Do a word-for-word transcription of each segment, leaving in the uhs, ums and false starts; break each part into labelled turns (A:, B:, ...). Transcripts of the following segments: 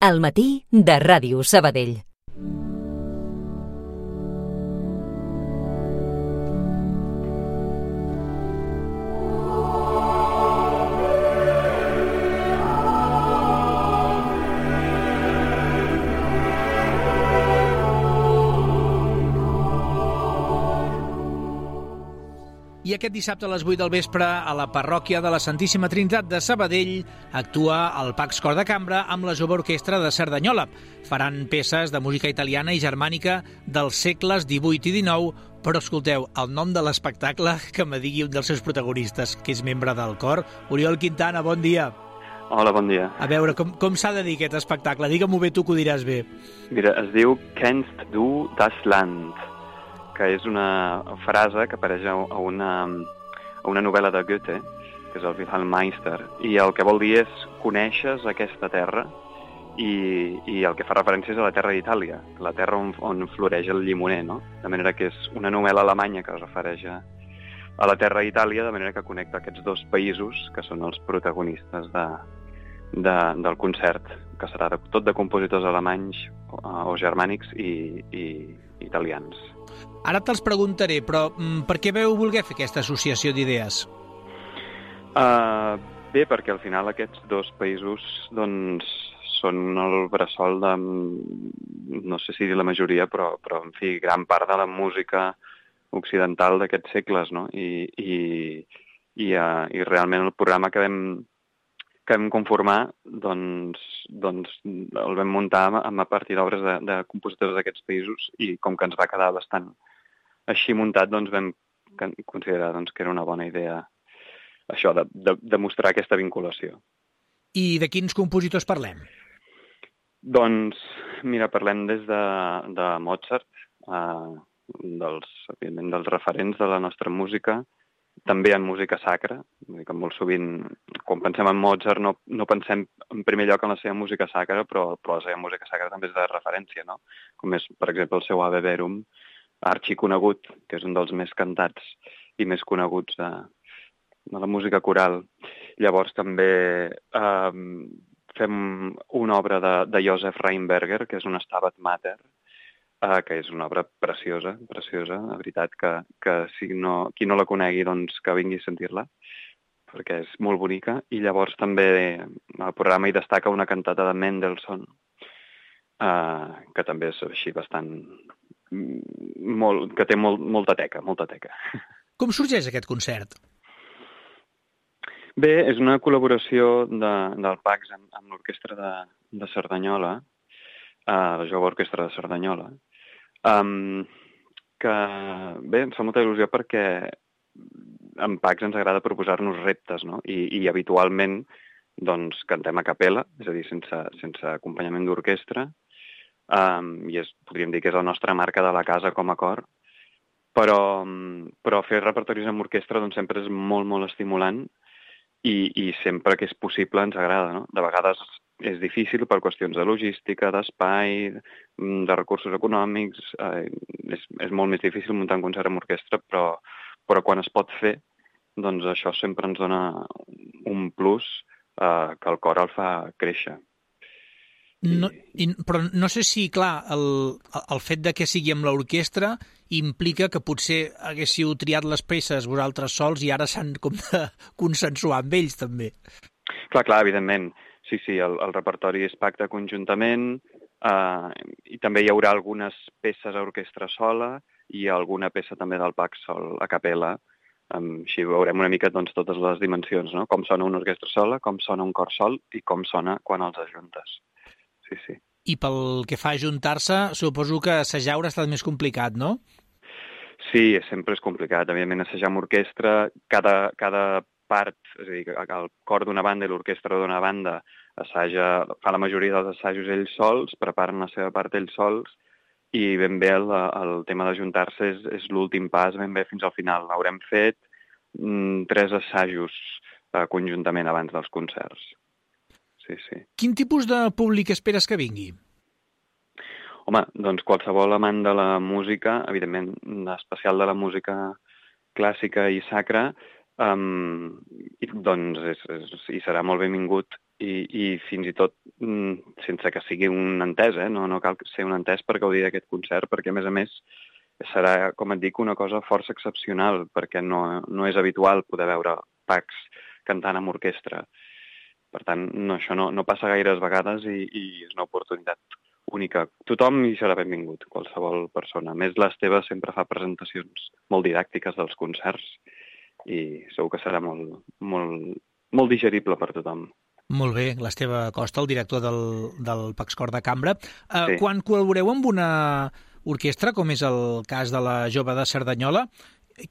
A: Al matí de Ràdio Sabadell.
B: I aquest dissabte a les vuit del vespre, a la parròquia de la Santíssima Trinitat de Sabadell, actua el Pax Cor de Cambra amb la Jove Orquestra de Cerdanyola. Faran peces de música italiana i germànica dels segles divuit i dinou, però escolteu, el nom de l'espectacle, que me digui un dels seus protagonistes, que és membre del cor. Oriol Quintana, bon dia.
C: Hola, bon dia.
B: A veure, com, com s'ha de dir aquest espectacle? Digue-m'ho bé, tu que ho diràs bé.
C: Mira, es diu Kennst du das Land, que és una frase que apareix a una, a una novel·la de Goethe, que és el Wilhelm Meister, i el que vol dir és coneixes aquesta terra, i, i el que fa referència és a la terra d'Itàlia, la terra on, on floreix el llimoner, no? De manera que és una novel·la alemanya que es refereix a, a la terra d'Itàlia, de manera que connecta aquests dos països, que són els protagonistes de, de, del concert, que serà de, tot de compositors alemanys o, o germànics i, i italians.
B: Ara te'ls preguntaré, però per què veu voler fer aquesta associació d'idees?
C: Uh, bé, perquè al final aquests dos països doncs, són el bressol de, no sé si dir la majoria, però, però en fi, gran part de la música occidental d'aquests segles, no? I, i, i, uh, i realment el programa que vam, que vam conformar doncs, doncs el vam muntar a partir d'obres de, de compositors d'aquests països, i com que ens va quedar bastant així muntat, doncs vam considerar doncs, que era una bona idea això, de, de, de mostrar aquesta vinculació.
B: I de quins compositors parlem?
C: Doncs, mira, parlem des de, de Mozart, eh, dels, evidentment, dels referents de la nostra música, també en música sacra, que molt sovint, quan pensem en Mozart, no, no pensem en primer lloc en la seva música sacra, però, però la seva música sacra també és de referència, no? Com és, per exemple, el seu Ave Verum, arxiconegut, que és un dels més cantats i més coneguts de, de la música coral. Llavors també eh, fem una obra de, de Josef Rheinberger, que és un Stabat Mater, eh, que és una obra preciosa, preciosa, la veritat, que, que si no, qui no la conegui, doncs que vingui a sentir-la, perquè és molt bonica. I llavors també al programa hi destaca una cantata de Mendelssohn, eh, que també és així bastant... Molt, que té molt, molta teca, molta teca.
B: Com sorgeix aquest concert?
C: Bé, és una col·laboració de, del Pax amb, amb l'orquestra de, de Cerdanyola, uh, la Jove Orquestra de Cerdanyola, um, que bé, em fa molta il·lusió perquè en Pax ens agrada proposar-nos reptes, no? I, i habitualment doncs, cantem a capella, és a dir, sense, sense acompanyament d'orquestra, Um, i és, podríem dir que és la nostra marca de la casa com a cor, però, però fer repertoris amb orquestra doncs, sempre és molt, molt estimulant, i, i sempre que és possible ens agrada, no? De vegades és difícil per qüestions de logística, d'espai, de recursos econòmics, eh, és, és molt més difícil muntar un concert amb orquestra, però, però quan es pot fer, doncs això sempre ens dona un plus eh, que el cor el fa créixer.
B: No, i, però no sé si, clar, el, el fet de que sigui amb l'orquestra implica que potser haguéssiu triat les peces vosaltres sols i ara s'han com de consensuar amb ells, també.
C: Clar, clar, evidentment. Sí, sí, el, el repertori es pacta conjuntament, eh, i també hi haurà algunes peces a orquestra sola i alguna peça també del Pax sol, a capella. Um, així veurem una mica doncs, totes les dimensions, no? Com sona una orquestra sola, com sona un cor sol i com sona quan els ajuntes. Sí, sí.
B: I pel que fa a ajuntar-se, suposo que assajar haurà estat més complicat, no?
C: Sí, sempre és complicat. Evidentment, assajar amb orquestra, cada, cada part, és a dir, el cor d'una banda i l'orquestra d'una banda assaja, fa la majoria dels assajos ells sols, preparen la seva part ells sols, i ben bé el, el tema d'ajuntar-se és, és l'últim pas, ben bé fins al final. Haurem fet mm, tres assajos eh, conjuntament abans dels concerts. Sí, sí.
B: Quin tipus de públic esperes que vingui?
C: Home, doncs qualsevol amant de la música, evidentment, especial de la música clàssica i sacra, um, i, doncs és, és, i serà molt benvingut i, i fins i tot sense que sigui un entès, eh? no, no cal ser un entès per gaudir d'aquest concert, perquè a més a més serà, com et dic, una cosa força excepcional, perquè no, no és habitual poder veure Pacs cantant amb orquestra. Per tant, no, això no, no passa gaires vegades i, i és una oportunitat única. Tothom hi serà benvingut, qualsevol persona. A més, l'Esteve sempre fa presentacions molt didàctiques dels concerts i segur que serà molt, molt, molt digerible per tothom.
B: Molt bé, l'Esteve Costa, el director del, del Pacs Cor de Cambra. Uh,
C: Sí.
B: Quan col·laboreu amb una orquestra, com és el cas de la Jove de Cerdanyola,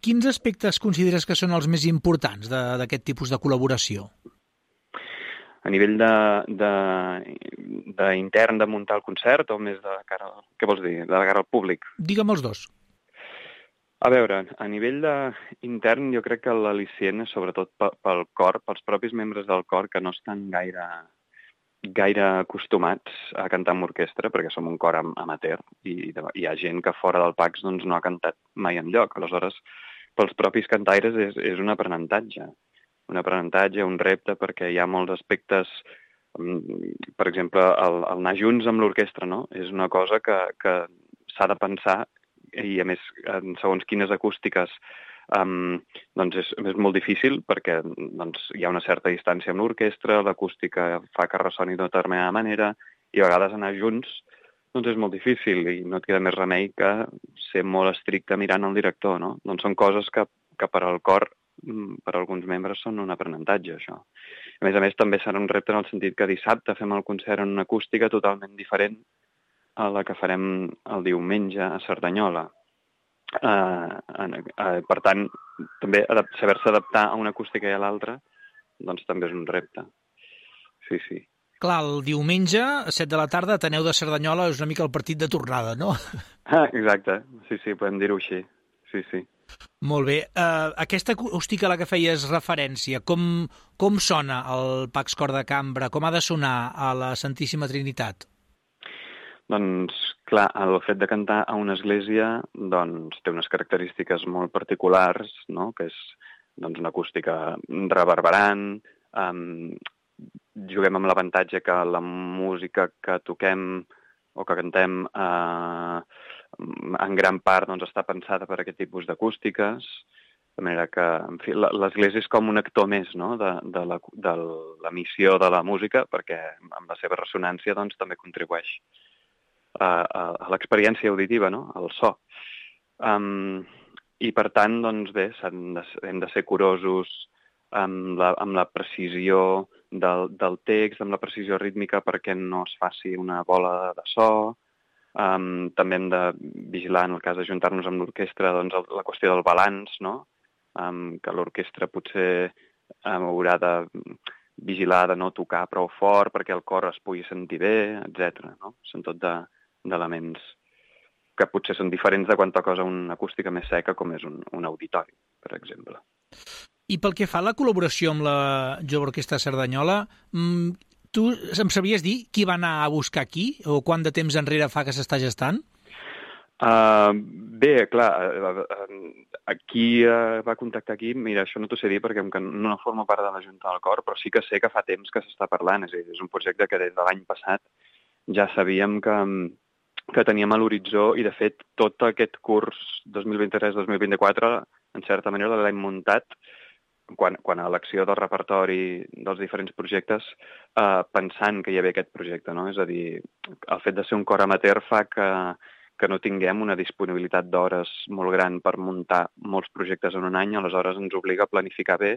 B: quins aspectes consideres que són els més importants de- d'aquest tipus de col·laboració?
C: A nivell de, de, de intern de muntar el concert o més de cara, què vols dir, de cara al públic?
B: Digue'm els dos.
C: A veure, a nivell de intern jo crec que l'al·licient és sobretot pe- pel cor, pels propis membres del cor que no estan gaire, gaire acostumats a cantar amb orquestra, perquè som un cor am- amateur i de- hi ha gent que fora del Pacs doncs, no ha cantat mai enlloc. Aleshores, pels propis cantaires és, és un aprenentatge. Un aprenentatge, un repte, perquè hi ha molts aspectes, mm, per exemple, el, el anar junts amb l'orquestra, no? És una cosa que, que s'ha de pensar i, a més, en segons quines acústiques um, doncs és, és molt difícil perquè doncs, hi ha una certa distància amb l'orquestra, l'acústica fa que ressoni d'una determinada manera i a vegades anar junts doncs és molt difícil i no et queda més remei que ser molt estricte mirant el director, no? Doncs són coses que, que per al cor, per a alguns membres, són un aprenentatge, això. A més a més, també serà un repte en el sentit que dissabte fem el concert en una acústica totalment diferent a la que farem el diumenge a Cerdanyola. Uh, uh, per tant, també adap- saber-se adaptar a una acústica i a l'altra doncs també és un repte. Sí, sí.
B: Clar, el diumenge, a set de la tarda, Ateneu de Cerdanyola és una mica el partit de tornada, no?
C: Ah, exacte. Sí, sí, podem dir-ho així. Sí, sí.
B: Molt bé. Uh, aquesta acústica a la que feies referència, com, com sona el Pacs Cor de Cambra? Com ha de sonar a la Santíssima Trinitat?
C: Doncs, clar, el fet de cantar a una església doncs, té unes característiques molt particulars, no? Que és doncs, una acústica reverberant, um, juguem amb l'avantatge que la música que toquem o que cantem eh, en gran part doncs, està pensada per aquest tipus d'acústiques, de manera que en fi, l'església és com un actor més, no? de, de, la, de l'emissió de la música, perquè amb la seva ressonància doncs, també contribueix a, a, a l'experiència auditiva, no? Al so. Um, I per tant, doncs bé, de, hem de ser curosos amb la, amb la precisió del, del text, amb la precisió rítmica perquè no es faci una bola de so. Um, també hem de vigilar, en el cas d'ajuntar-nos amb l'orquestra, doncs, el, la qüestió del balanç, no? Um, que l'orquestra potser um, haurà de vigilar de no tocar prou fort perquè el cor es pugui sentir bé, etcètera. No? Són tot de, d'elements que potser són diferents de quan toques a una acústica més seca com és un, un auditori, per exemple.
B: I pel que fa a la col·laboració amb la Jove Orquestra Cerdanyola, tu em sabies dir qui va anar a buscar aquí o quant de temps enrere fa que s'està gestant?
C: Uh, bé, clar, aquí uh, va contactar aquí, mira, això no t'ho sé dir perquè no forma part de la Junta del Cor, però sí que sé que fa temps que s'està parlant, és a dir, és un projecte que des de l'any passat ja sabíem que, que teníem a l'horitzó i, de fet, tot aquest curs dos mil vint-i-tres dos mil vint-i-quatre, en certa manera, l'hem muntat quan, quan a l'acció del repertori dels diferents projectes, uh, pensant que hi havia aquest projecte, no? És a dir, el fet de ser un cor amateur fa que que no tinguem una disponibilitat d'hores molt gran per muntar molts projectes en un any, aleshores ens obliga a planificar bé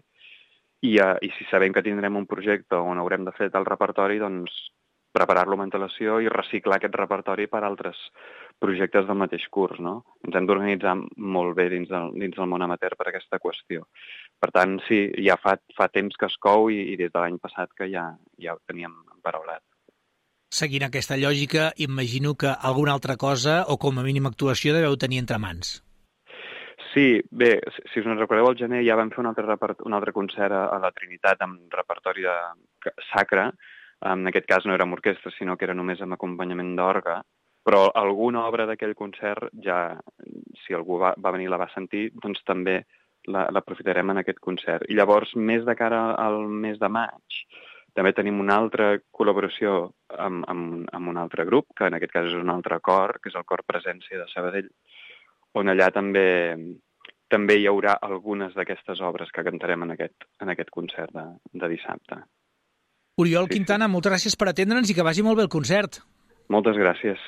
C: i, uh, i si sabem que tindrem un projecte on haurem de fer el repertori, doncs preparar-lo amb antelació i reciclar aquest repertori per altres projectes del mateix curs, no? Ens hem d'organitzar molt bé dins del, dins del món amateur per aquesta qüestió. Per tant, sí, ja fa, fa temps que es cou i, i des de l'any passat que ja, ja ho teníem emparaulat.
B: Seguint aquesta lògica, imagino que alguna altra cosa, o com a mínim actuació, deveu tenir entre mans.
C: Sí, bé, si us en recordeu, al gener ja vam fer un altre, repert... un altre concert a la Trinitat amb repertori de... sacre. En aquest cas no era amb orquestra, sinó que era només amb acompanyament d'orgue. Però alguna obra d'aquell concert, ja, si algú va, va venir i la va sentir, doncs també l'aprofitarem en aquest concert. I llavors, més de cara al mes de maig, També tenim una altra col·laboració amb, amb, amb un altre grup, que en aquest cas és un altre cor, que és el Cor Presència de Sabadell, on allà també també hi haurà algunes d'aquestes obres que cantarem en aquest, en aquest concert de, de dissabte.
B: Oriol
C: Sí,
B: Quintana,
C: sí.
B: moltes gràcies per atendre'ns i que vagi molt bé el concert.
C: Moltes gràcies.